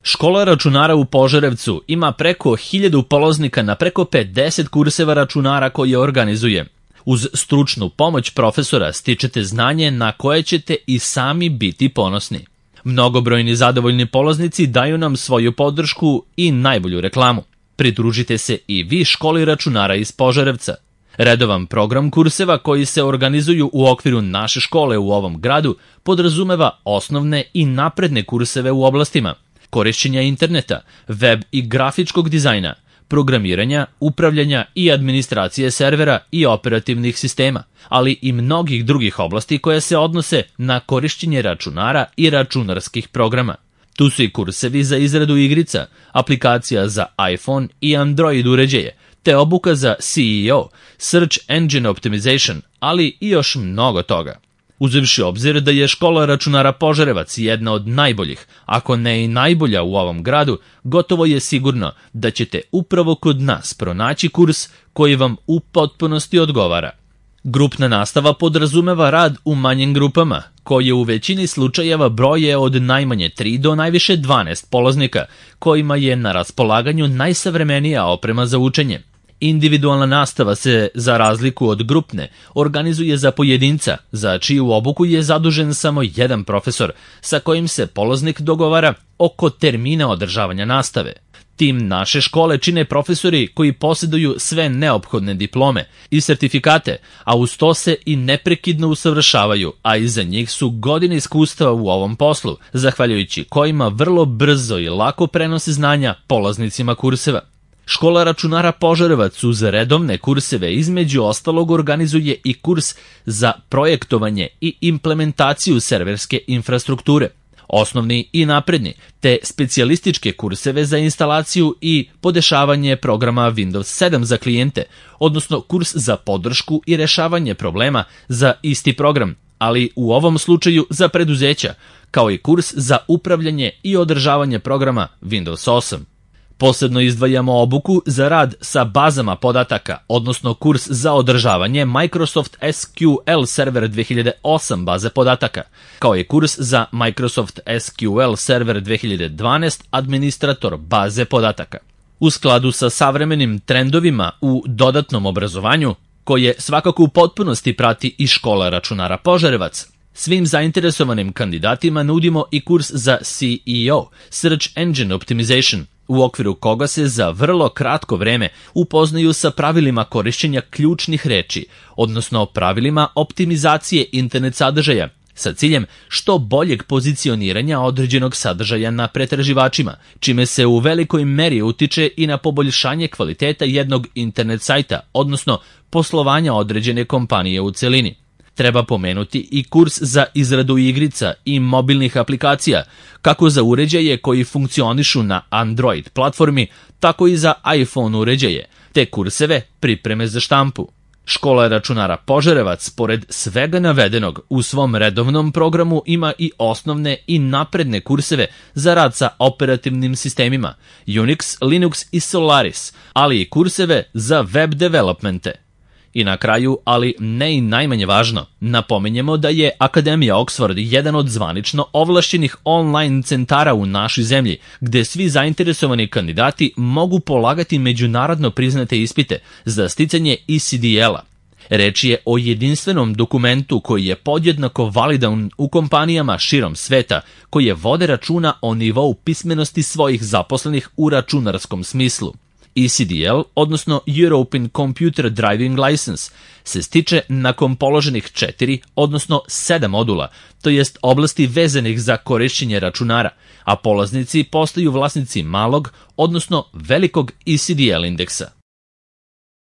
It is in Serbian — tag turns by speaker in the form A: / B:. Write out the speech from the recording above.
A: Škola računara u Požarevcu ima preko 1000 polaznika na preko 50 kurseva računara koje organizuje. Uz stručnu pomoć profesora stičete znanje na koje ćete i sami biti ponosni. Mnogobrojni zadovoljni polaznici daju nam svoju podršku i najbolju reklamu. Pridružite se i vi školi računara iz Požarevca. Redovan program kurseva koji se organizuju u okviru naše škole u ovom gradu podrazumeva osnovne i napredne kurseve u oblastima korišćenja interneta, web i grafičkog dizajna, programiranja, upravljanja i administracije servera i operativnih sistema, ali i mnogih drugih oblasti koje se odnose na korišćenje računara i računarskih programa. Tu su i kursevi za izradu igrica, aplikacija za iPhone i Android uređaje, te obuka za SEO, Search Engine Optimization, ali i još mnogo toga. Uzevši obzir da je škola računara Požarevac jedna od najboljih, ako ne i najbolja u ovom gradu, gotovo je sigurno da ćete upravo kod nas pronaći kurs koji vam u potpunosti odgovara. Grupna nastava podrazumeva rad u manjim grupama, koje u većini slučajeva broje od najmanje 3 do najviše 12 polaznika, kojima je na raspolaganju najsavremenija oprema za učenje. Individualna nastava se, za razliku od grupne, organizuje za pojedinca, za čiju obuku je zadužen samo jedan profesor, sa kojim se polaznik dogovara oko termina održavanja nastave. Tim naše škole čine profesori koji posjeduju sve neophodne diplome i sertifikate, a uz to se i neprekidno usavršavaju, a iza njih su godine iskustva u ovom poslu, zahvaljujući kojima vrlo brzo i lako prenose znanja polaznicima kurseva. Škola računara Požarevac uz redovne kurseve između ostalog organizuje i kurs za projektovanje i implementaciju serverske infrastrukture, osnovni i napredni, te specijalističke kurseve za instalaciju i podešavanje programa Windows 7 za klijente, odnosno kurs za podršku i rešavanje problema za isti program, ali u ovom slučaju za preduzeća, kao i kurs za upravljanje i održavanje programa Windows 8. Posebno izdvajamo obuku za rad sa bazama podataka, odnosno kurs za održavanje Microsoft SQL Server 2008 baze podataka, kao i kurs za Microsoft SQL Server 2012 administrator baze podataka. U skladu sa savremenim trendovima u dodatnom obrazovanju, koje svakako u potpunosti prati i škola računara Požarevac, svim zainteresovanim kandidatima nudimo i kurs za SEO, Search Engine Optimization, u okviru koga se za vrlo kratko vreme upoznaju sa pravilima korišćenja ključnih reči, odnosno pravilima optimizacije internet sadržaja, sa ciljem što boljeg pozicioniranja određenog sadržaja na pretraživačima, čime se u velikoj meri utiče i na poboljšanje kvaliteta jednog internet sajta, odnosno poslovanja određene kompanije u celini. Treba pomenuti i kurs za izradu igrica i mobilnih aplikacija, kako za uređaje koji funkcionišu na Android platformi, tako i za iPhone uređaje, te kurseve pripreme za štampu. Škola računara Požarevac, pored svega navedenog, u svom redovnom programu ima i osnovne i napredne kurseve za rad sa operativnim sistemima Unix, Linux i Solaris, ali i kurseve za web developmente. I na kraju, ali ne i najmanje važno, napominjemo da je Akademija Oxford jedan od zvanično ovlašćenih online centara u našoj zemlji, gde svi zainteresovani kandidati mogu polagati međunarodno priznate ispite za sticanje ECDL-a. Reč je o jedinstvenom dokumentu koji je podjednako validan u kompanijama širom sveta, koje vode računa o nivou pismenosti svojih zaposlenih u računarskom smislu. ECDL, odnosno European Computer Driving License, se stiče nakon položenih 4, odnosno 7 modula, to jest oblasti vezanih za korišćenje računara, a polaznici postaju vlasnici malog, odnosno velikog ECDL indeksa.